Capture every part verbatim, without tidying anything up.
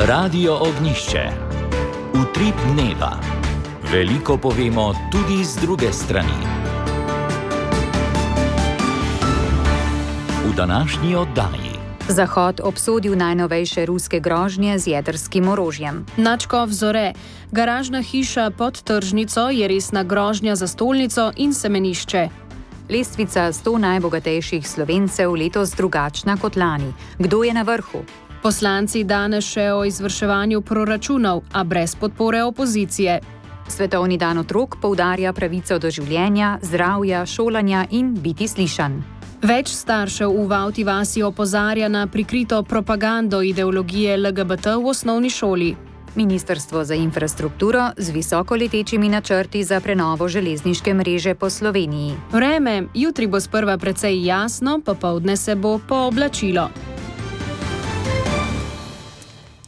Radio Ognišče. Utrip dneva. Veliko povemo tudi z druge strani. V današnji oddaji. Zahod obsodil najnovejše ruske grožnje z jedrskim orožjem. Načkov Zore. Garažna hiša pod tržnico je resna grožnja za stolnico in semenišče. Lestvica sto najbogatejših Slovencev letos drugačna kot lani. Kdo je na vrhu? Poslanci danes še o izvrševanju proračunov, a brez podpore opozicije. Svetovni dan otrok poudarja pravico do življenja, zdravja, šolanja in biti slišan. Več staršev v Vavti vasi opozarja na prikrito propagando ideologije L G B T v osnovni šoli. Ministrstvo za infrastrukturo z visokoletečimi načrti za prenovo železniške mreže po Sloveniji. Vreme, jutri bo sprva precej jasno, popoldne se bo pooblačilo.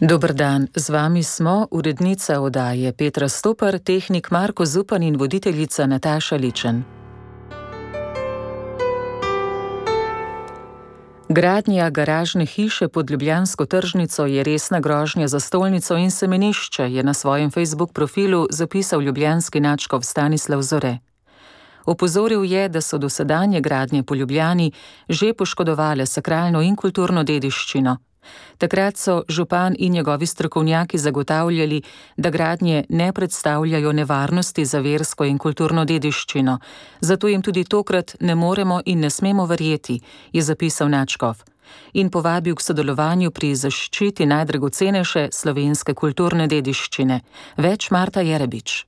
Dober dan, z vami smo urednica oddaje Petra Stopar, tehnik Marko Zupan in voditeljica Nataša Ličen. Gradnja garažne hiše pod ljubljansko tržnico je resna grožnja za stolnico in semenišče, je na svojem Facebook profilu zapisal ljubljanski nadškof Stanislav Zore. Opozoril je, da so dosedanje gradnje po Ljubljani že poškodovale sakralno in kulturno dediščino. Takrat so župan in njegovi strokovnjaki zagotavljali, da gradnje ne predstavljajo nevarnosti za versko in kulturno dediščino, zato jim tudi tokrat ne moremo in ne smemo verjeti, je zapisal nadškof in povabil k sodelovanju pri zaščiti najdragocenejše slovenske kulturne dediščine. Več Marta Jerebič.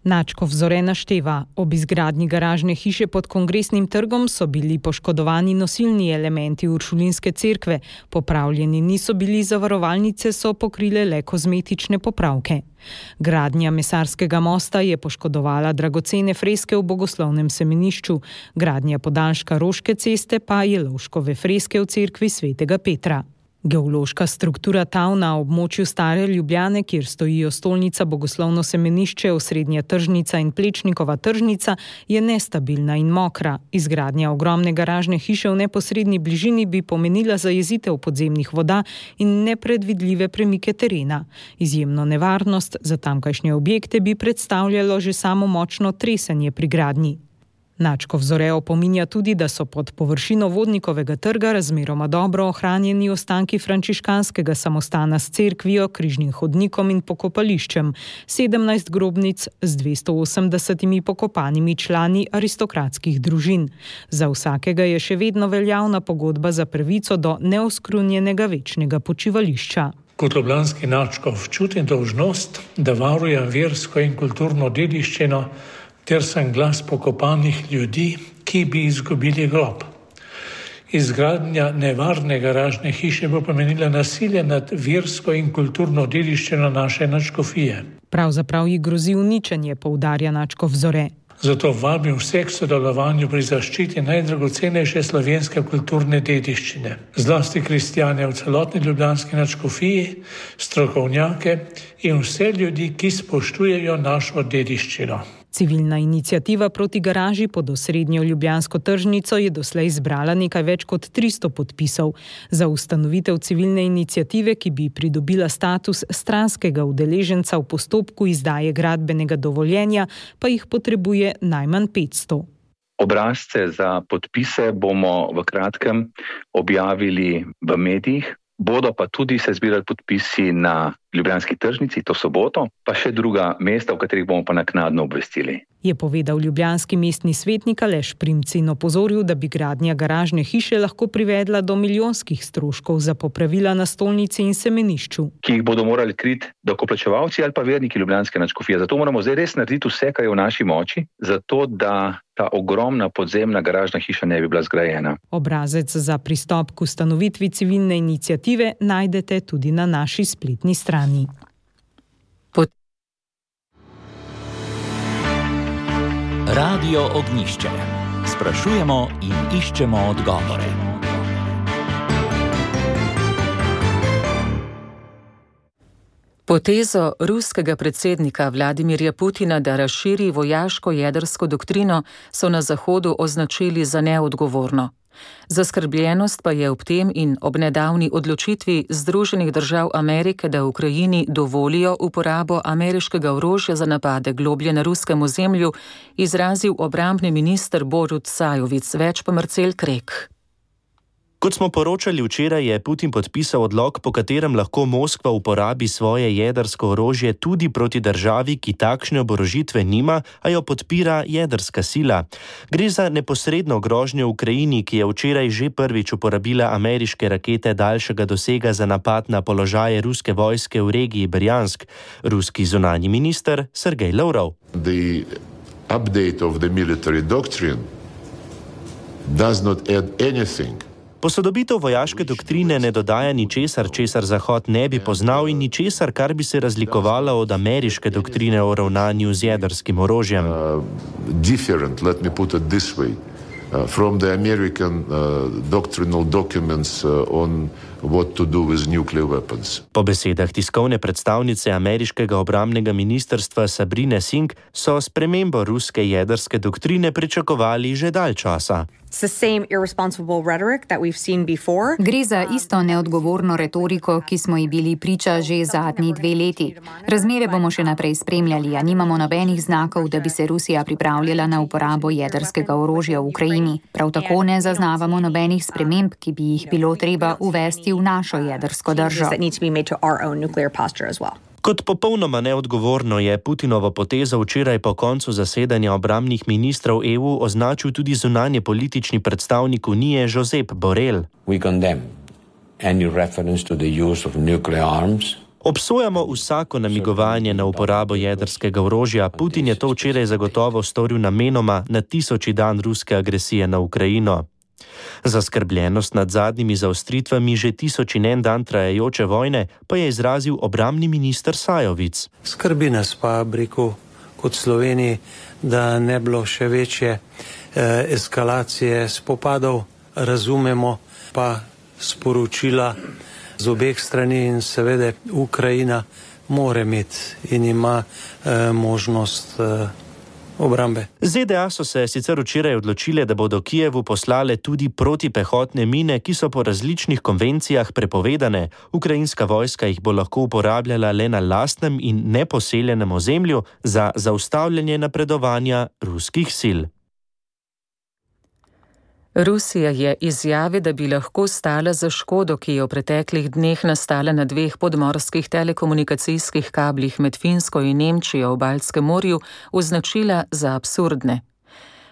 Načkov Zore našteva, ob izgradnji garažne hiše pod Kongresnim trgom so bili poškodovani nosilni elementi Uršulinske cerkve, popravljeni niso bili, zavarovalnice so pokrile le kozmetične popravke. Gradnja Mesarskega mosta je poškodovala dragocene freske v bogoslovnem semenišču, gradnja podaljška Roške ceste pa je Lovškove freske v cerkvi svetega Petra. Geološka struktura tav na območju Stare Ljubljane, kjer stojijo stolnica, bogoslovno semenišče, osrednja tržnica in Plečnikova tržnica, je nestabilna in mokra. Izgradnja ogromne garažne hiše v neposredni bližini bi pomenila zajezitev podzemnih voda in nepredvidljive premike terena. Izjemno nevarnost za tamkajšnje objekte bi predstavljalo že samo močno tresenje pri gradnji. Načkov Zore opominja tudi, da so pod površino Vodnikovega trga razmeroma dobro ohranjeni ostanki frančiškanskega samostana s cerkvijo, križnim hodnikom in pokopališčem, sedemnajst grobnic z dvesto osemdesetimi pokopanimi člani aristokratskih družin. Za vsakega je še vedno veljavna pogodba za pravico do neoskrunjenega večnega počivališča. Kot ljubljanski nadškof čutim dolžnost, da varujem versko in kulturno dediščino, ter sem glas pokopanih ljudi, ki bi izgubili grob. Izgradnja nevarne garažne hiše bo pomenila nasilje nad versko in kulturno dediščino naše nadškofije. Pravzaprav ji grozi uničenje, poudarja Načkov Zore. Zato vabim vse k sodelovanju pri zaščiti najdragocenejše slovenske kulturne dediščine. Zlasti kristjane v celotni ljubljanski nadškofiji, strokovnjake in vse ljudi, ki spoštujejo našo dediščino. Civilna iniciativa proti garaži pod osrednjo ljubljansko tržnico je doslej zbrala nekaj več kot tristo podpisov. Za ustanovitev civilne iniciative, ki bi pridobila status stranskega udeleženca v postopku izdaje gradbenega dovoljenja, pa jih potrebuje najmanj petsto. Obrazce za podpise bomo v kratkem objavili v medijih. Bodo pa tudi se zbirali podpisi na ljubljanski tržnici, to soboto, pa še druga mesta, v katerih bomo pa naknadno obvestili. Je povedal ljubljanski mestni svetnik Aleš Primc in opozoril, da bi gradnja garažne hiše lahko privedla do milijonskih stroškov za popravila na stolnici in semenišču. Ki jih bodo morali kriti davkoplačevalci ali pa verniki ljubljanske nadškofije. Zato moramo zdaj res narediti vse, kar je v naši moči, zato da ta ogromna podzemna garažna hiša ne bi bila zgrajena. Obrazec za pristop k ustanovitvi civilne iniciative najdete tudi na naši spletni strani. Pot- Radio Ognišče. Sprašujemo in iščemo odgovore. Potezo ruskega predsednika Vladimirja Putina, da razširi vojaško jedrsko doktrino, so na Zahodu označili za neodgovorno. Zaskrbljenost pa je ob tem in ob nedavni odločitvi Združenih držav Amerike, da Ukrajini dovolijo uporabo ameriškega orožja za napade globlje na ruskem ozemlju, izrazil obrambni minister Borut Sajovic, več pa Marcel Krek. Kot smo poročali včeraj, je Putin podpisal odlok, po katerem lahko Moskva uporabi svoje jedrsko orožje tudi proti državi, ki takšne oborožitve nima, a jo podpira jedrska sila. Gre za neposredno grožnjo Ukrajini, ki je včeraj že prvič uporabila ameriške rakete daljšega dosega za napad na položaje ruske vojske v regiji Brjansk. Ruski zunanji minister Sergej Lavrov. The update of the military doctrine does not add anything. Posodobitev vojaške doktrine ne dodaja ničesar, česar Zahod ne bi poznal in ničesar, kar bi se razlikovalo od ameriške doktrine o ravnanju z jedrskim orožjem. Uh, different, let me put it this way, uh, from the American uh, doctrinal documents uh, on what to do with nuclear weapons. Po besedah tiskovne predstavnice ameriškega obrambnega ministrstva Sabrine Singh so spremembo ruske jedrske doktrine pričakovali že dalj časa. Gre za isto neodgovorno retoriko, ki smo ji bili priča že zadnji dve leti. Razmere bomo še naprej spremljali, a nimamo nobenih znakov, da bi se Rusija pripravljala na uporabo jedrskega orožja v Ukrajini. Prav tako ne zaznavamo nobenih sprememb, ki bi jih bilo treba uvesti v našo jedrsko držo. Kot popolnoma neodgovorno je Putinovo potezo včeraj po koncu zasedanja obrambnih ministrov E U označil tudi zunanje politični predstavnik Unije Josep Borrell. Obsojamo vsako namigovanje na uporabo jedrskega orožja. Putin je to včeraj zagotovo storil namenoma na tisoči dan ruske agresije na Ukrajino. Zaskrbljenost nad zadnjimi zaostritvami že tisoč in en dan trajajoče vojne pa je izrazil obrambni minister Sajovic. Skrbi nas pa, rekel, kot Sloveniji, da ne bilo še večje eh, eskalacije spopadov, razumemo pa sporočila z obeh strani in seveda Ukrajina mora imeti in ima eh, možnost eh, obrambe. Z D A so se sicer včeraj odločile, da bodo Kijevu poslale tudi protipehotne mine, ki so po različnih konvencijah prepovedane. Ukrajinska vojska jih bo lahko uporabljala le na lastnem in neposeljenem ozemlju za zaustavljanje napredovanja ruskih sil. Rusija je izjavi, da bi lahko stala za škodo, ki je v preteklih dneh nastala na dveh podmorskih telekomunikacijskih kablih med Finsko in Nemčijo v Baltskem morju, označila za absurdne.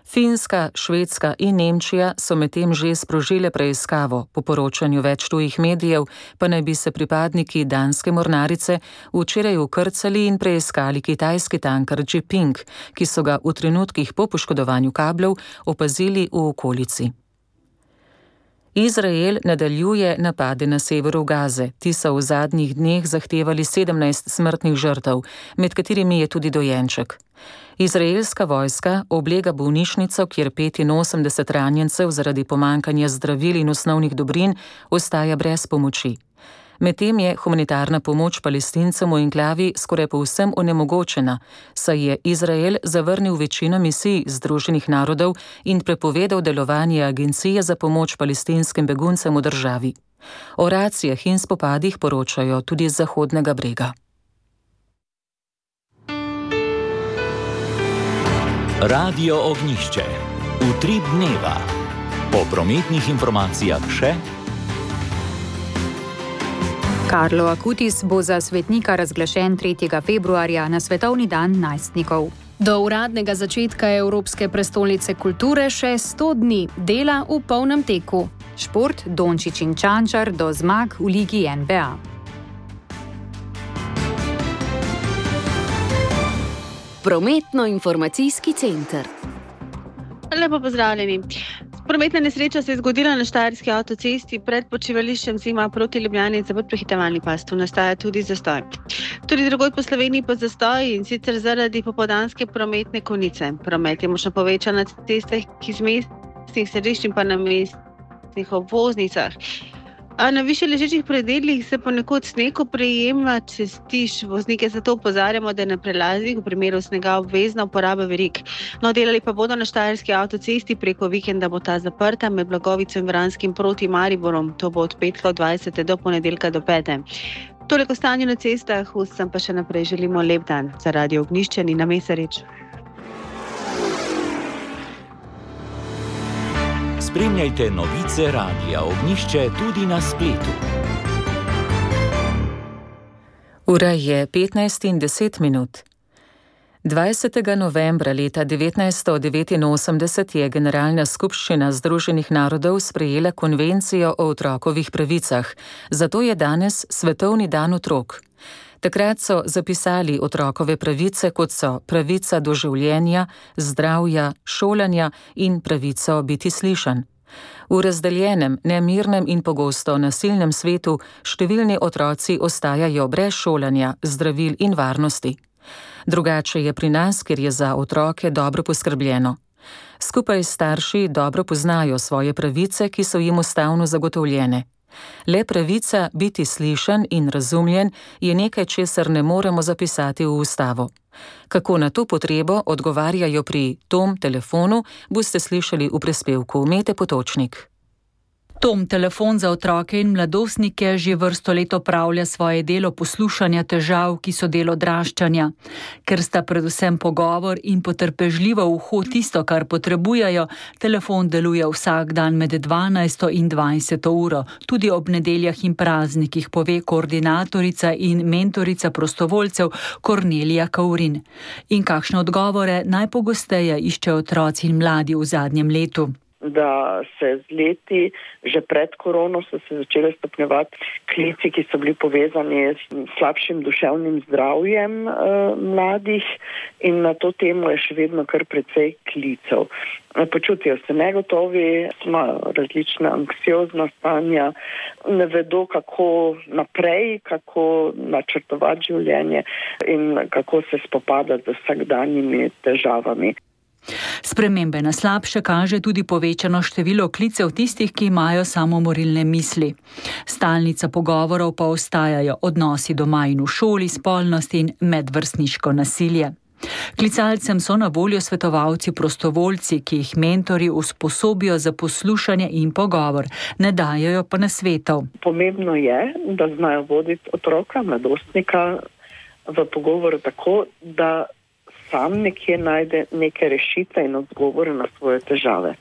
Finska, Švedska in Nemčija so medtem že sprožile preiskavo. Po poročanju več tujih medijev pa naj bi se pripadniki danske mornarice včeraj ukrcali in preiskali kitajski tanker Jiping, ki so ga v trenutkih po poškodovanju kablov opazili v okolici. Izrael nadaljuje napade na severu Gaze. Ti so v zadnjih dneh zahtevali sedemnajst smrtnih žrtev, med katerimi je tudi dojenček. Izraelska vojska oblega bolnišnico, kjer petinosemdeset ranjencev zaradi pomankanja zdravil in osnovnih dobrin ostaja brez pomoči. Medtem je humanitarna pomoč Palestincem v enklavi skoraj povsem onemogočena, saj je Izrael zavrnil večino misij Združenih narodov in prepovedal delovanje Agencije za pomoč palestinskim beguncem v državi. O racijah in spopadih poročajo tudi z Zahodnega brega. Radio Ognjišče. Utrip dneva. Po prometnih informacijah še. Carlo Acutis bo za svetnika razglašen tretjega februarja na svetovni dan najstnikov. Do uradnega začetka Evropske prestolnice kulture še sto dni, dela v polnem teku. Šport, Dončić in Čančar do zmag v ligi N B A. Prometno-informacijski center. Lepo pozdravljeni. Prometna nesreča se je zgodila na Štajerski avtocesti pred počivališčem Zima proti Ljubljani, za prehitevalni pas. Tu nastaja tudi zastoj. Tudi drugod po Sloveniji pa zastoj, in sicer zaradi popoldanske prometne konice. Promet je močno povečan na cestah iz mestnih središč in pa na mestnih obvoznicah. Na više ležečih predelih se ponekod sneg oprijema, če stiš voznike, zato opozarjamo, da je na prelazih v primeru snega obvezna uporaba verig. No, delali pa bodo na Štajerski avtocesti, preko vikenda bo ta zaprta med Blagovico in Vranskim proti Mariborom. To bo od petka od dvajsete do ponedeljka do pete. Toliko o stanju na cestah, vsem pa še naprej želimo lep dan. Za Radio Ognjišče Nina Mesarič. Spremljajte novice Radia Ognjišče tudi na spletu. Ura je petnajst in deset minut. dvajsetega novembra leta devetnajststo devetinosemdeset je Generalna skupščina Združenih narodov sprejela konvencijo o otrokovih pravicah, zato je danes Svetovni dan otrok. Takrat so zapisali otrokove pravice, kot so pravica do življenja, zdravja, šolanja in pravico biti slišan. V razdeljenem, nemirnem in pogosto nasilnem svetu številni otroci ostajajo brez šolanja, zdravil in varnosti. Drugače je pri nas, kjer je za otroke dobro poskrbljeno. Skupaj s starši dobro poznajo svoje pravice, ki so jim ustavno zagotovljene. Le pravica biti slišan in razumljen je nekaj, česar ne moremo zapisati v ustavo. Kako na to potrebo odgovarjajo pri Tom telefonu, boste slišali v prispevku Mete Potočnik. Tom telefon za otroke in mladostnike že vrsto let opravlja svoje delo poslušanja težav, ki so del odraščanja. Ker sta predvsem pogovor in potrpežljivo uho tisto, kar potrebujejo, telefon deluje vsak dan med dvanajsto in dvajseto uro, tudi ob nedeljah in praznikih, pove koordinatorica in mentorica prostovoljcev Kornelija Kaurin. In kakšne odgovore najpogosteje iščejo otroci in mladi v zadnjem letu? Da se z leti, že pred korono, so se začele stopnjevati klici, ki so bili povezani s slabšim duševnim zdravjem e, mladih, in na to temo je še vedno kar precej klicev. Počutijo se negotovi, imajo različna anksiozna stanja, ne vedo, kako naprej, kako načrtovati življenje in kako se spopadati z vsakdanjimi težavami. Spremembe na slabše kaže tudi povečano število klicev tistih, ki imajo samomorilne misli. Stalnica pogovorov pa ostajajo odnosi doma in v šoli, spolnost in medvrstniško nasilje. Klicalcem so na voljo svetovalci prostovoljci, ki jih mentori usposobijo za poslušanje in pogovor, ne dajejo pa nasvetov. Pomembno je, da znajo voditi otroka, mladostnika v pogovoru tako, da sam nekje najde neke rešitve in odgovore na svoje težave.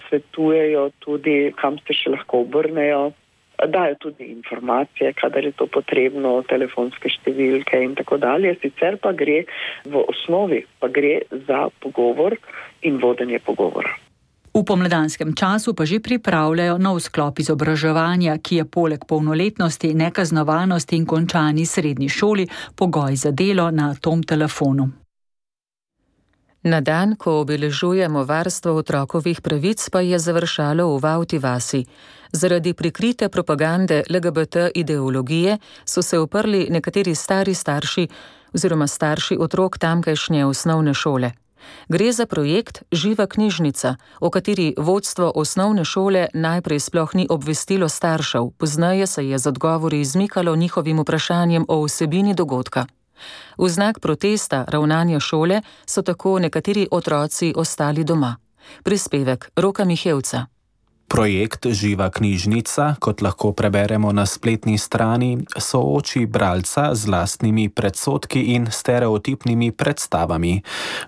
Svetujejo tudi, kam se še lahko obrnejo, dajo tudi informacije, kadar je to potrebno, telefonske številke in tako dalje. Sicer pa gre v osnovi, pa gre za pogovor in vodenje pogovora. V pomladanskem času pa že pripravljajo nov sklop izobraževanja, ki je poleg polnoletnosti, nekaznovanosti in končani srednji šoli pogoj za delo na Tom telefonu. Na dan, ko obeležujemo varstvo otrokovih pravic, pa je završalo v Vavti vasi. Zaradi prikrite propagande L G B T ideologije so se uprli nekateri stari starši oziroma starši otrok tamkajšnje osnovne šole. Gre za projekt Živa knjižnica, o kateri vodstvo osnovne šole najprej sploh ni obvestilo staršev, pozneje se je z odgovori izmikalo njihovim vprašanjem o vsebini dogodka. V znak protesta ravnanja šole so tako nekateri otroci ostali doma. Prispevek Roka Mihevca. Projekt Živa knjižnica, kot lahko preberemo na spletni strani, sooči bralca z lastnimi predsodki in stereotipnimi predstavami.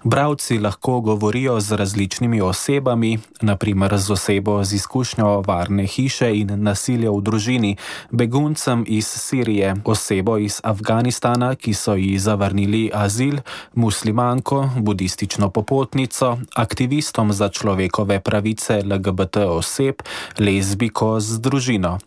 Bralci lahko govorijo z različnimi osebami, na primer z osebo z izkušnjo varne hiše in nasilja v družini, beguncem iz Sirije, osebo iz Afganistana, ki so ji zavrnili azil, muslimanko, budistično popotnico, aktivistom za človekove pravice L G B T oseb, lezbiko z družino.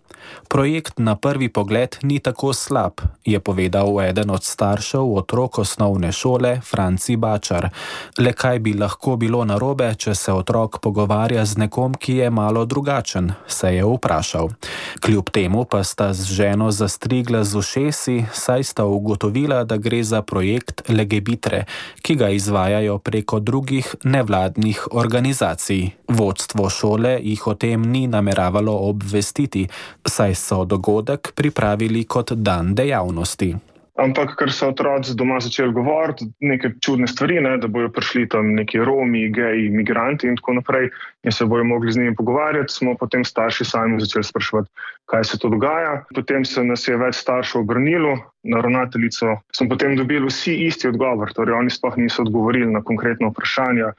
Projekt na prvi pogled ni tako slab, je povedal eden od staršev otrok osnovne šole, Franci Bačar. Le kaj bi lahko bilo narobe, če se otrok pogovarja z nekom, ki je malo drugačen, se je vprašal. Kljub temu pa sta z ženo zastrigla z ušesi, saj sta ugotovila, da gre za projekt Legebitre, ki ga izvajajo preko drugih nevladnih organizacij. Vodstvo šole jih o tem tem ni nameravalo obvestiti, saj so dogodek pripravili kot dan dejavnosti. Ampak, ker so otroci doma začeli govoriti neke čudne stvari, ne, da bojo prišli tam neki Romi, geji, migranti in tako naprej in se bojo mogli z njimi pogovarjati, smo potem starši sami začeli spraševati, kaj se to dogaja. Potem se nas je več staršev obrnilo na ravnateljico. Smo potem dobili vsi isti odgovor, torej oni sploh niso odgovorili na konkretno vprašanje,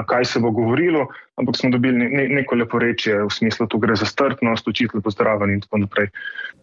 kaj se bo govorilo, ampak smo dobili ne, neko leporečje v smislu, tu gre za strpnost, učitelj pozdraven in tako naprej.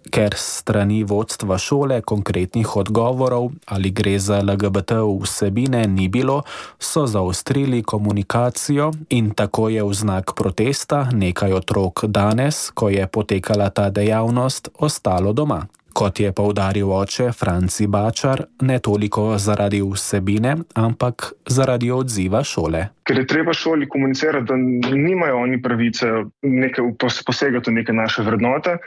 Ker strani vodstva šole konkretnih odgovorov ali gre za L G B T vsebine ni bilo, so zaostrili komunikacijo in tako je v znak protesta nekaj otrok danes, ko je potekala ta dejavnost, ostalo doma. Kot je poudaril oče Franci Bačar, ne toliko zaradi vsebine, ampak zaradi odziva šole. Ker je treba šoli komunicirati, da nimajo oni pravice neke, posegati v neke naše vrednote.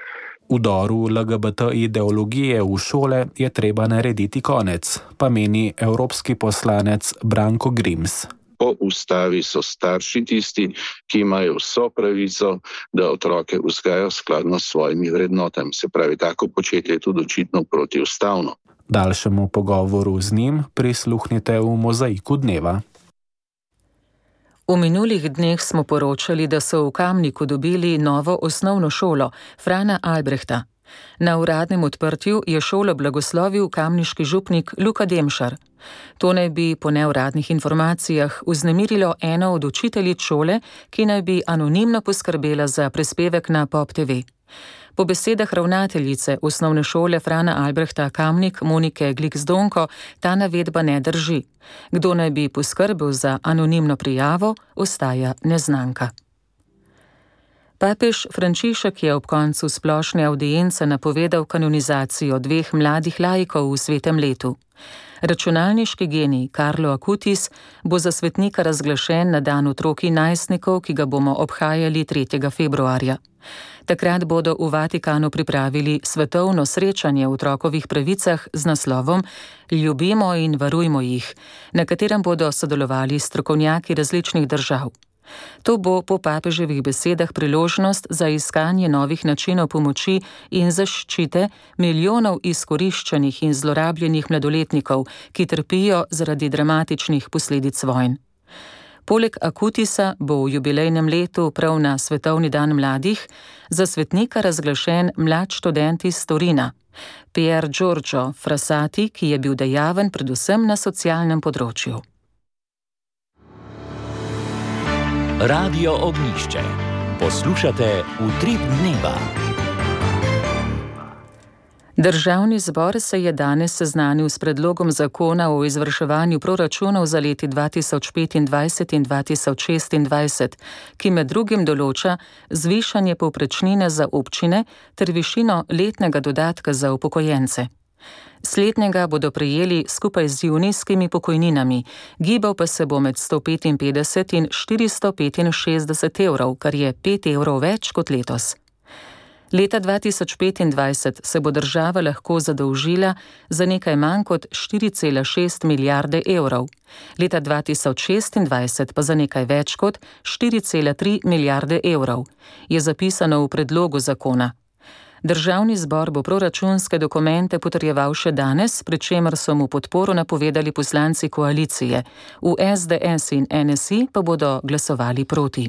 Vdoru L G B T ideologije v šole je treba narediti konec, pa meni evropski poslanec Branko Grims. Po ustavi so starši tisti, ki imajo vso pravico, da otroke vzgajajo skladno s svojimi vrednotami. Se pravi, tako početje je tudi očitno protiustavno. Daljšemu pogovoru z njim prisluhnite v Mozaiku dneva. V minulih dneh smo poročali, da so v Kamniku dobili novo osnovno šolo Frana Albrehta. Na uradnem odprtju je šolo blagoslovil kamniški župnik Luka Demšar. To naj bi po neuradnih informacijah vznemirilo eno od učiteljic šole, ki naj bi anonimno poskrbela za prispevek na Pop T V. Po besedah ravnateljice osnovne šole Frana Albrehta Kamnik Monike Gliksdonko ta navedba ne drži. Kdo naj bi poskrbel za anonimno prijavo, ostaja neznanka. Papež Frančišek je ob koncu splošne avdience napovedal kanonizacijo dveh mladih laikov v svetem letu. Računalniški genij Carlo Acutis bo za svetnika razglašen na dan otrok in najstnikov, ki ga bomo obhajali tretjega februarja. Takrat bodo v Vatikanu pripravili svetovno srečanje o otrokovih pravicah z naslovom Ljubimo in varujmo jih, na katerem bodo sodelovali strokovnjaki različnih držav. To bo po papeževih besedah priložnost za iskanje novih načinov pomoči in zaščite milijonov izkoriščenih in zlorabljenih mladoletnikov, ki trpijo zaradi dramatičnih posledic vojn. Poleg Acutisa bo v jubilejnem letu prav na Svetovni dan mladih za svetnika razglašen mlad študent iz Torina, Pier Giorgio Frassati, ki je bil dejaven predvsem na socialnem področju. Radio Ognjišče. Poslušate Utrip dneva. Državni zbor se je danes seznanil s predlogom zakona o izvrševanju proračunov za leti dva tisoč petindvajset in dva tisoč šestindvajset, ki med drugim določa zvišanje povprečnine za občine ter višino letnega dodatka za upokojence. Slednjega bodo prejeli skupaj z junijskimi pokojninami, gibal pa se bo med sto petinpetdeset in štiristo petinšestdeset evrov, kar je pet evrov več kot letos. Leta dva tisoč petindvajset se bo država lahko zadolžila za nekaj manj kot štiri cela šest milijarde evrov, leta dva tisoč šestindvajset pa za nekaj več kot štiri cela tri milijarde evrov, je zapisano v predlogu zakona. Državni zbor bo proračunske dokumente potrjeval še danes, pri čemer so mu podporo napovedali poslanci koalicije, v S D S in N S I pa bodo glasovali proti.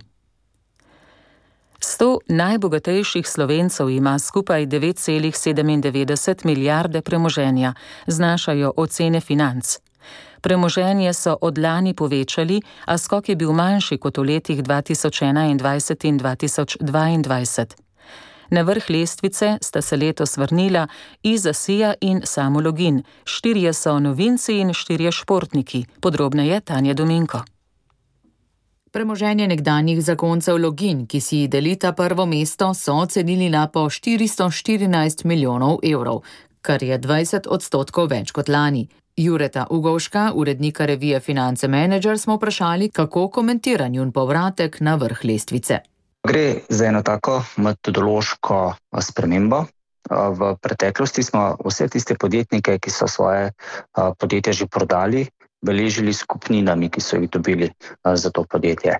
Sto najbogatejših Slovencev ima skupaj devet cela sedemindevetdeset milijarde premoženja, znašajo ocene Financ. Premoženje so od lani povečali, a skok je bil manjši kot v letih dva tisoč enaindvajset in dva tisoč dvaindvajset. Na vrh lestvice sta se letos vrnila Iza Sija in Samo Login, štirje so novinci in štirje športniki, podrobneje Tanja Dominko. Premoženje nekdanjih zakoncev Login, ki si delita prvo mesto, so ocenili na po štiristo štirinajst milijonov evrov, kar je dvajset odstotkov več kot lani. Jureta Ugovška, urednika revije Finance Manager, smo vprašali, kako komentira njun povratek na vrh lestvice. Gre za eno tako metodološko spremembo. V preteklosti smo vse tiste podjetnike, ki so svoje podjetje že prodali, beležili skupninami, ki so jih dobili za to podjetje.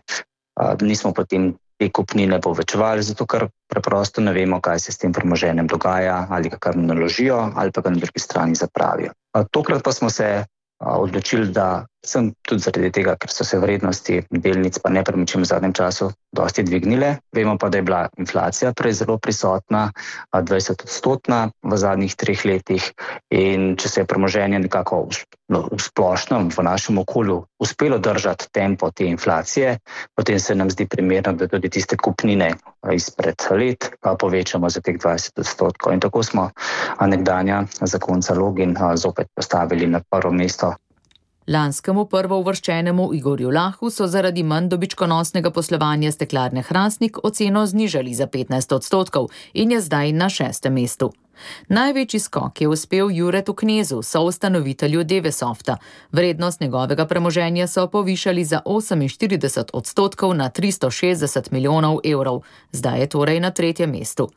Nismo potem te kupnine povečevali, zato ker preprosto ne vemo, kaj se s tem premoženjem dogaja, ali ga kar naložijo, ali pa ga na drugi strani zapravijo. Tokrat pa smo se odločili, da sem tudi zaradi tega, ker so se vrednosti delnic pa nepremičnin v zadnjem času dosti dvignile. Vemo pa, da je bila inflacija prej zelo prisotna, dvajset odstotna v zadnjih treh letih, in če se je premoženje nekako v splošnem v našem okolju uspelo držati tempo te inflacije, potem se nam zdi primerno, da tudi tiste kupnine izpred let povečamo za teh dvajset odstotkov. In tako smo nekdanja zakonca Login zopet postavili na prvo mesto. Lanskemu prvouvrščenemu Igorju Lahu so zaradi manj dobičkonosnega poslovanja Steklarne Hrastnik oceno znižali za petnajst odstotkov in je zdaj na šestem mestu. Največji skok je uspel Juretu Knezu, soustanovitelju Devesofta. Vrednost njegovega premoženja so povišali za oseminštirideset odstotkov na tristo šestdeset milijonov evrov. Zdaj je torej na tretjem mestu.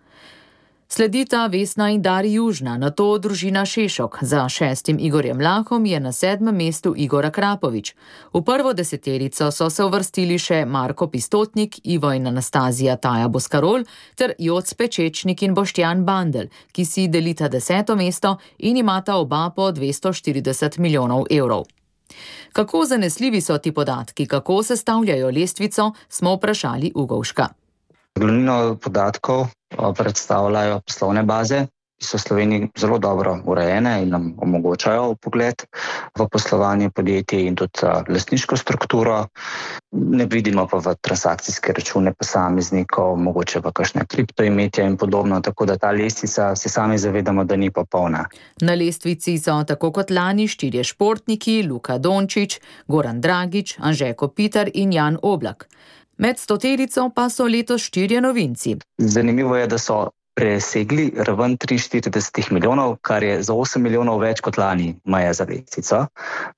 Sledita Vesna in Dari Južna, nato družina Šešok. Za šestim Igorjem Lahom je na sedmem mestu Igor Akrapovič. V prvo deseterico so se uvrstili še Marko Pistotnik, Ivo in Anastazija Taja Boskarol ter Joc Pečečnik in Boštjan Bandel, ki si delita deseto mesto in imata oba po dvesto štirideset milijonov evrov. Kako zanesljivi so ti podatki, kako sestavljajo lestvico, smo vprašali Ugovška. Glavnino podatkov predstavljajo poslovne baze, ki so v Sloveniji zelo dobro urejene in nam omogočajo vpogled v poslovanje podjetij in tudi lastniško strukturo. Ne vidimo pa v transakcijske račune posameznikov, mogoče v kakšne kriptoimetja in podobno, tako da ta lestvica se sami zavedamo, da ni popolna. Na lestvici so tako kot lani štirje športniki, Luka Dončić, Goran Dragić, Anže Kopitar in Jan Oblak. Med stoterico pa so letos štirje novinci. Zanimivo je, da so presegli raven triinštirideset milijonov, kar je za osem milijonov več kot lani meja za lestvico,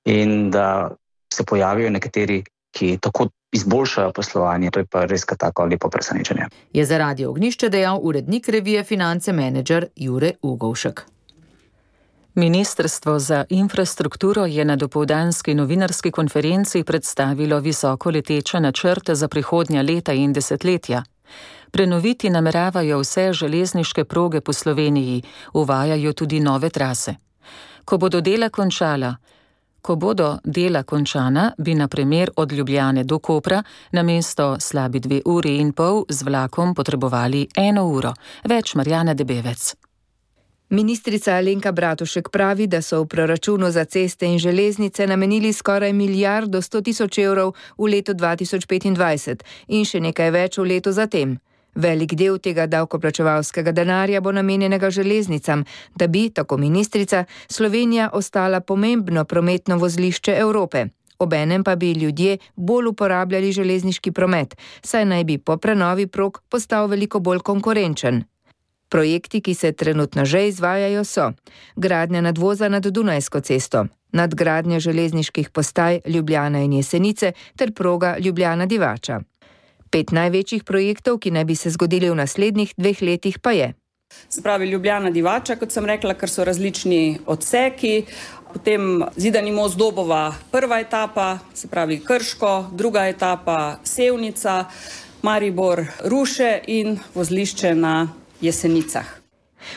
in da se pojavijo nekateri, ki tako izboljšajo poslovanje, to je pa res tako lepo presenečenje. Je za Radio Ognjišče dejal urednik revije Finance Manager Jure Ugovšek. Ministrstvo za infrastrukturo je na dopoldanski novinarski konferenci predstavilo visoko leteče načrte za prihodnja leta in desetletja. Prenoviti nameravajo vse železniške proge po Sloveniji, uvajajo tudi nove trase. Ko bodo dela končala, ko bodo dela končana, bi na primer od Ljubljane do Kopra namesto slabi dve uri in pol z vlakom potrebovali eno uro. Več Marjana Debevec. Ministrica Alenka Bratušek pravi, da so v proračunu za ceste in železnice namenili skoraj milijardo sto tisoč evrov v letu dva tisoč petindvajset in še nekaj več v letu zatem. Velik del tega davkoplačevalskega denarja bo namenjenega železnicam, da bi, tako ministrica, Slovenija ostala pomembno prometno vozlišče Evrope. Obenem pa bi ljudje bolj uporabljali železniški promet, saj naj bi po prenovi prog postal veliko bolj konkurenčen. Projekti, ki se trenutno že izvajajo, so gradnja nadvoza nad Dunajsko cesto, nadgradnja železniških postaj Ljubljana in Jesenice ter proga Ljubljana-Divača. Pet največjih projektov, ki naj bi se zgodili v naslednjih dveh letih, pa je. Se pravi Ljubljana-Divača, kot sem rekla, ker so različni odseki, potem Zidani most Dobova, prva etapa, se pravi Krško, druga etapa Sevnica, Maribor Ruše in vozlišče na Jesenicah.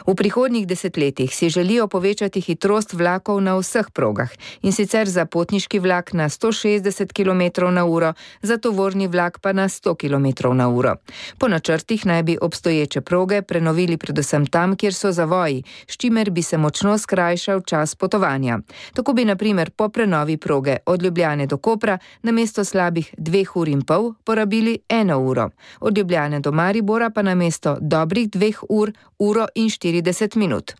V prihodnjih desetletjih si želijo povečati hitrost vlakov na vseh progah, in sicer za potniški vlak na sto šestdeset kilometrov na uro, za tovorni vlak pa na sto kilometrov na uro. Po načrtih naj bi obstoječe proge prenovili predvsem tam, kjer so zavoji, s čimer bi se močno skrajšal čas potovanja. Tako bi na primer po prenovi proge od Ljubljane do Kopra namesto slabih dveh ur in pol porabili eno uro, od Ljubljane do Maribora pa namesto dobrih dveh ur, uro in štirideset minut.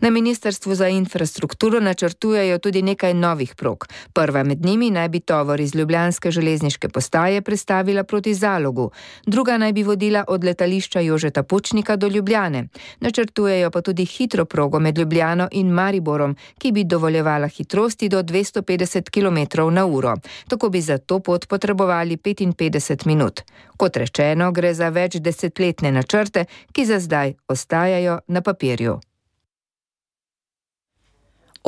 Na Ministrstvu za infrastrukturo načrtujejo tudi nekaj novih prog. Prva med njimi naj bi tovor iz ljubljanske železniške postaje prestavila proti Zalogu, druga naj bi vodila od letališča Jožeta Pučnika do Ljubljane. Načrtujejo pa tudi hitro progo med Ljubljano in Mariborom, ki bi dovoljevala hitrosti do dvesto petdeset kilometrov na uro. Tako bi za to pot potrebovali petinpetdeset minut. Kot rečeno, gre za več desetletne načrte, ki za zdaj ostajajo na papirju.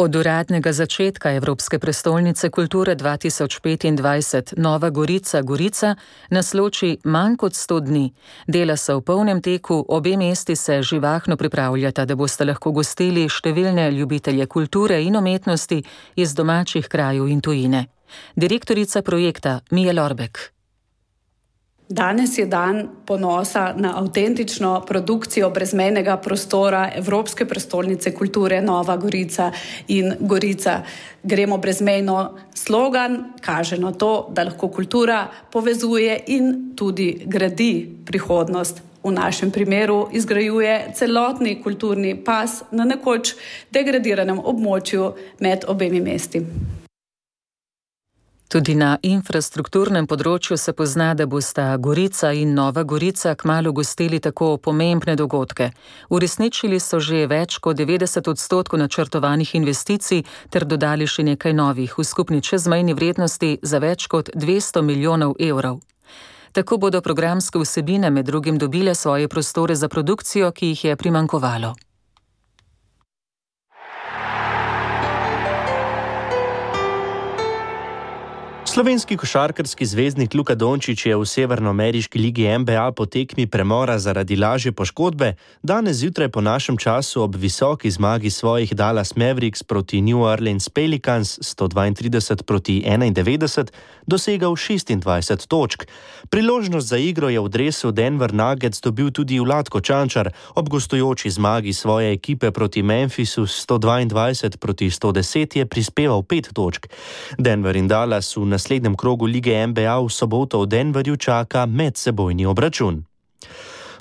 Od uradnega začetka Evropske prestolnice kulture dva tisoč petindvajset Nova Gorica Gorica nas loči manj kot sto dni. Dela so v polnem teku, obe mesti se živahno pripravljata, da boste lahko gostili številne ljubitelje kulture in umetnosti iz domačih krajev in tujine. Direktorica projekta Mija Lorbek. Danes je dan ponosa na avtentično produkcijo brezmejnega prostora Evropske prestolnice kulture Nova Gorica in Gorica. Gremo brezmejno slogan kaže na to, da lahko kultura povezuje in tudi gradi prihodnost. V našem primeru izgrajuje celotni kulturni pas na nekoč degradiranem območju med obemi mesti. Tudi na infrastrukturnem področju se pozna, da bosta Gorica in Nova Gorica kmalu gostili tako pomembne dogodke. Uresničili so že več kot devetdeset odstotkov načrtovanih investicij ter dodali še nekaj novih v skupni čezmejni vrednosti za več kot dvesto milijonov evrov. Tako bodo programske vsebine med drugim dobile svoje prostore za produkcijo, ki jih je primanjkovalo. Slovenski košarkarski zvezdnik Luka Dončić je v severnoameriški ligi N B A po tekmi premora zaradi lažje poškodbe danes zjutraj po našem času ob visoki zmagi svojih Dallas Mavericks proti New Orleans Pelicans sto dvaintrideset proti enaindevetdeset dosegal šestindvajset točk. Priložnost za igro je v dresu Denver Nuggets dobil tudi Vlatko Čančar, ob gostujoči zmagi svoje ekipe proti Memphisu sto dvaindvajset proti sto deset je prispeval pet točk. Denver in Dallas v naslednjem krogu lige N B A v soboto v Denverju čaka medsebojni obračun.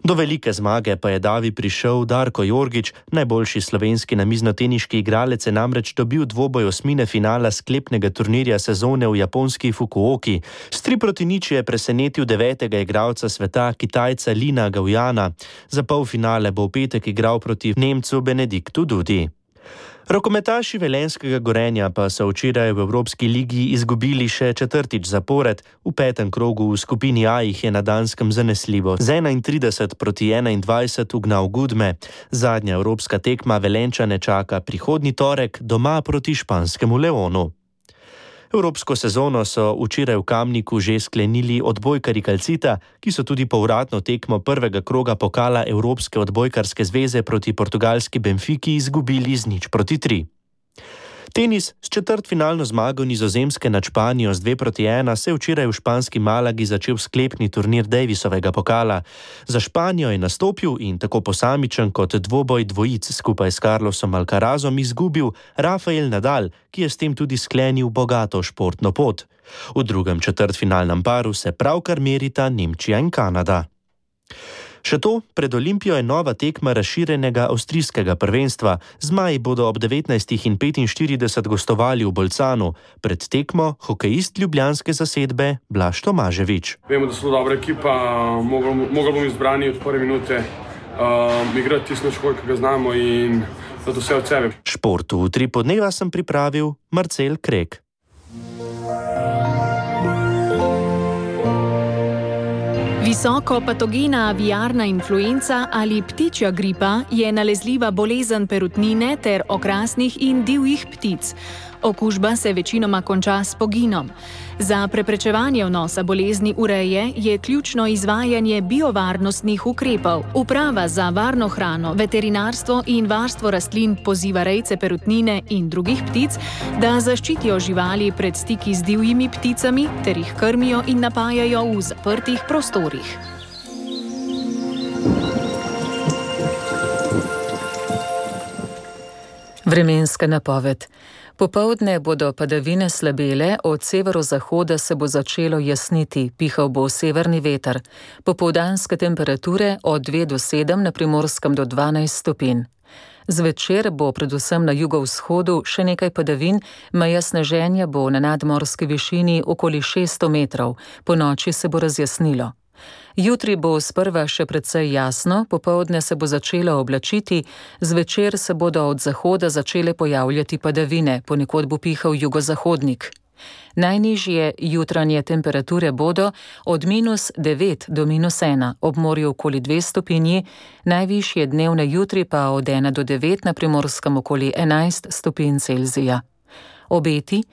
Do velike zmage pa je davi prišel Darko Jorgić, najboljši slovenski namiznoteniški igralec je namreč dobil dvoboj osmine finala sklepnega turnirja sezone v japonski Fukuoki. S tri proti nič je presenetil devetega igralca sveta, Kitajca Lina Gaujana. Za polfinale bo v petek igral proti Nemcu Benediktu Dudi. Rokometaši velenjskega Gorenja pa so včeraj v Evropski ligi izgubili še četrtič zapored. V petem krogu v skupini A jih je na Danskem zanesljivo z enaintrideset proti enaindvajset ugnal Gudme. Zadnja evropska tekma Velenjčane čaka prihodnji torek doma proti španskemu Leonu. Evropsko sezono so včeraj v Kamniku že sklenili odbojkarji Calcita, ki so tudi povratno tekmo prvega kroga pokala Evropske odbojkarske zveze proti portugalski Benfiki izgubili z nič proti tri. Tenis s četrtfinalno zmago Nizozemske nad Španijo z dve proti ena se je včeraj v španski Malagi začel sklepni turnir Davisovega pokala. Za Španijo je nastopil in tako posamičen kot dvoboj dvojic skupaj s Carlosom Alcarazom izgubil Rafael Nadal, ki je s tem tudi sklenil bogato športno pot. V drugem četrtfinalnem paru se pravkar merita Nemčija in Kanada. Še to, pred Olimpijo je nova tekma razširjenega avstrijskega prvenstva. Zmaji bodo ob devetnajstih in petinštirideset gostovali v Bolcanu. Pred tekmo hokejist ljubljanske zasedbe Blaž Tomaževič. Vemo, da so dobra ekipa, mogli bomo izbrani od prve minute uh, igrati tisto škoj, ki ga znamo in zato vse od sebe. Športu v tri podneva sem pripravil Marcel Krek. Visoko patogena aviarna influenca ali ptičja gripa je nalezljiva bolezen perutnine ter okrasnih in divjih ptic. Okužba se večinoma konča s poginom. Za preprečevanje vnosa bolezni v reje je ključno izvajanje biovarnostnih ukrepov. Uprava za varno hrano, veterinarstvo in varstvo rastlin poziva rejce perutnine in drugih ptic, da zaščitijo živali pred stiki z divjimi pticami ter jih krmijo in napajajo v zaprtih prostorih. Vremenska napoved. Popoldne bodo padavine slabele, od severozahoda se bo začelo jasniti, pihal bo severni veter. Popoldanske temperature od dve do sedem, na Primorskem do dvanajst stopinj. Zvečer bo predvsem na jugovzhodu še nekaj padavin, meja sneženja bo na nadmorski višini okoli šeststo metrov, ponoči se bo razjasnilo. Jutri bo sprva še precej jasno, popoldne se bo začelo oblačiti, zvečer se bodo od zahoda začele pojavljati padavine, ponekod bo pihal jugozahodnik. Najnižje jutranje temperature bodo od minus devet do minus ena, ob morju okoli dve stopinji, najvišje dnevne jutri pa od ena do devet, na Primorskem okoli enajst stopinj Celzija. Obeti: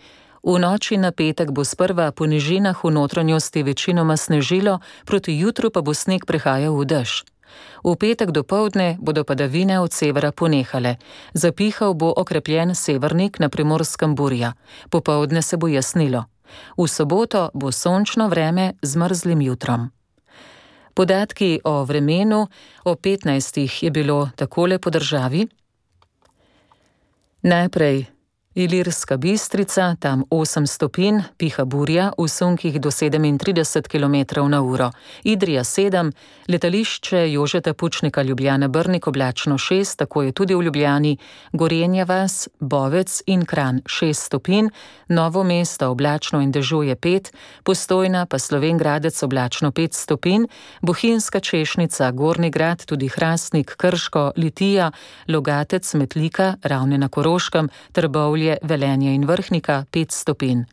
v noči na petek bo sprva po nižinah v notranjosti večinoma snežilo, proti jutru pa bo sneg prehajal v dež. V petek dopoldne bodo padavine od severa ponehale. Zapihal bo okrepljen severnik, na Primorskem burja. Popoldne se bo jasnilo. V soboto bo sončno vreme z mrzlim jutrom. Podatki o vremenu: o petnajstih je bilo takole po državi. Najprej Ilirska Bistrica, tam osem stopinj, piha burja, v sunkih do sedemintrideset kilometrov na uro. Idrija sedem, letališče Jožeta Pučnika Ljubljana Brnik oblačno šest, tako je tudi v Ljubljani, Gorenja vas, Bovec in Kranj šest stopinj, Novo mesto oblačno in dežuje pet, Postojna pa Slovenj Gradec oblačno pet stopinj, Bohinjska Češnica, Gornji Grad, tudi Hrastnik, Krško, Litija, Logatec, Metlika, Ravne na Koroškem, Trbovlje, Velenje in Vrhnika pet stopinj.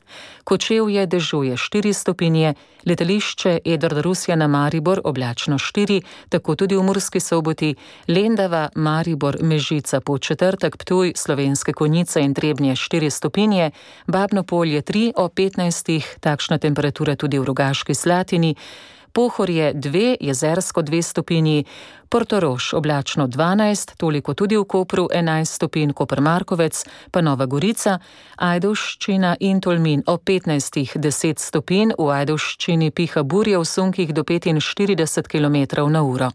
Kočevje dežuje štiri stopinje, letališče Edvard Rusjana Maribor oblačno štiri, tako tudi v Murski Soboti, Lendava, Maribor, Mežica, Podčetrtek, Ptuj, Slovenske Konjice in Trebnje štiri stopinje, Babno Polje tri, o petnajstih, takšna temperatura tudi v Rogaški Slatini, Pohorje dve, Jezersko dve stopinji, Portorož oblačno dvanajst, toliko tudi v Kopru enajst stopinj, Koper Markovec, pa Nova Gorica, Ajdovščina in Tolmin o petnajstih deset stopinj, v Ajdovščini piha burja v sunkih do petinštirideset kilometrov na uro.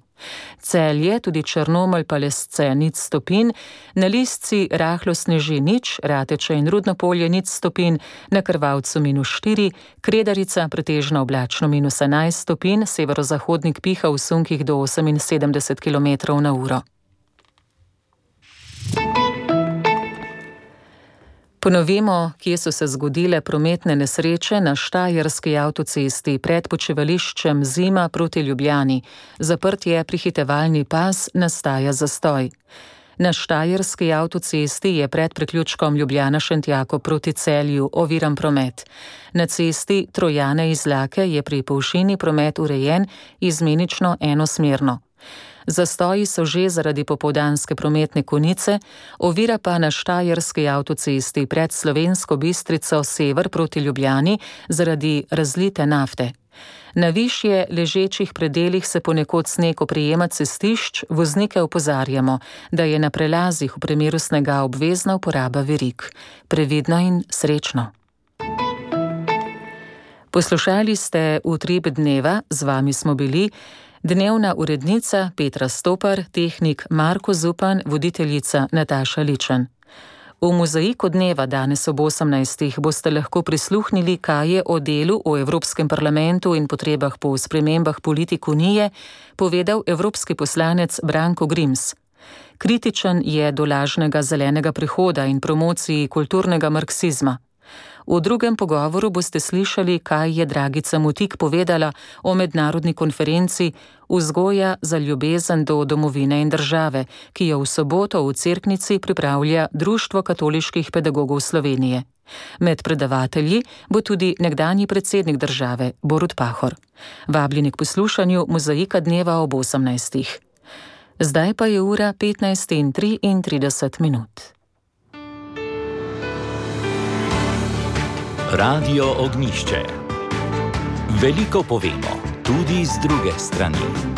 Celje, tudi Črnomelj pa Lesce nič stopinj, na Lisci rahlo sneži nič, Rateče in Rudno Polje nič stopinj, na Krvavcu minus štiri, Kredarica pretežno oblačno minus enajst stopinj, severozahodnik piha v sunkih do oseminsedemdeset kilometrov na uro. Ponovimo, kje so se zgodile prometne nesreče. Na Štajerski avtocesti pred počivališčem Zima proti Ljubljani. Zaprt je prehitevalni pas, nastaja zastoj. Na Štajerski avtocesti je pred priključkom Ljubljana-Šentjako proti Celju oviran promet. Na cesti Trojane iz Lake je pri Povšini promet urejen izmenično enosmerno. Zastoji so že zaradi popoldanske prometne konice, ovira pa na Štajerski avtocesti pred Slovensko Bistrico sever proti Ljubljani zaradi razlite nafte. Na višje ležečih predelih se ponekod sneg oprijema cestišč, voznike opozarjamo, da je na prelazih v primeru snega obvezna uporaba verig. Previdno in srečno. Poslušali ste Utrip dneva, z vami smo bili dnevna urednica Petra Stopar, tehnik Marko Zupan, voditeljica Nataša Ličen. V mozaiku dneva danes ob osemnajstih boste lahko prisluhnili, kaj je o delu v Evropskem parlamentu in potrebah po spremembah politik Unije povedal evropski poslanec Branko Grims. Kritičen je do lažnega zelenega prehoda in promociji kulturnega marksizma. V drugem pogovoru boste slišali, kaj je Dragica Mutik povedala o mednarodni konferenci Vzgoja za ljubezen do domovine in države, ki jo v soboto v Cerknici pripravlja Društvo katoliških pedagogov Slovenije. Med predavatelji bo tudi nekdanji predsednik države Borut Pahor. Vabljeni k poslušanju mozaika dneva ob osemnajstih. Zdaj pa je ura petnajst in triintrideset minut. Radio Ognjišče. Veliko povemo, tudi z druge strani.